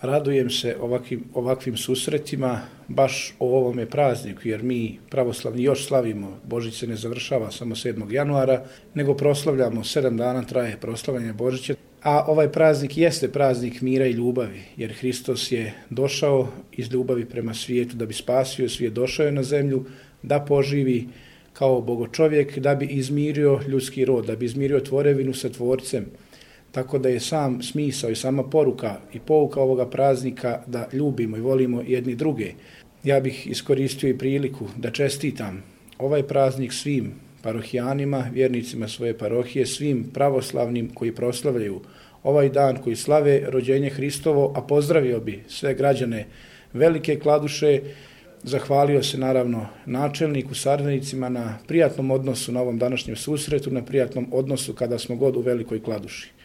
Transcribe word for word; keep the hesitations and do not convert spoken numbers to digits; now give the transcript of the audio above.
Radujem se ovakvim, ovakvim susretima, baš o ovome prazniku, jer mi pravoslavni još slavimo, Božić se ne završava samo sedmog januara, nego proslavljamo, sedam dana traje proslavljanje Božića, a ovaj praznik jeste praznik mira i ljubavi, jer Hristos je došao iz ljubavi prema svijetu da bi spasio svijet, došao je na zemlju da poživi kao bogočovjek, da bi izmirio ljudski rod, da bi izmirio tvorevinu sa tvorcem. Tako da je sam smisao i sama poruka i pouka ovoga praznika da ljubimo i volimo jedni druge. Ja bih iskoristio i priliku da čestitam ovaj praznik svim parohijanima, vjernicima svoje parohije, svim pravoslavnim koji proslavljaju ovaj dan, koji slave rođenje Hristovo, a pozdravio bi sve građane Velike Kladuše, zahvalio se naravno načelniku, saradnicima na prijatnom odnosu na ovom današnjem susretu, na prijatnom odnosu kada smo god u Velikoj Kladuši.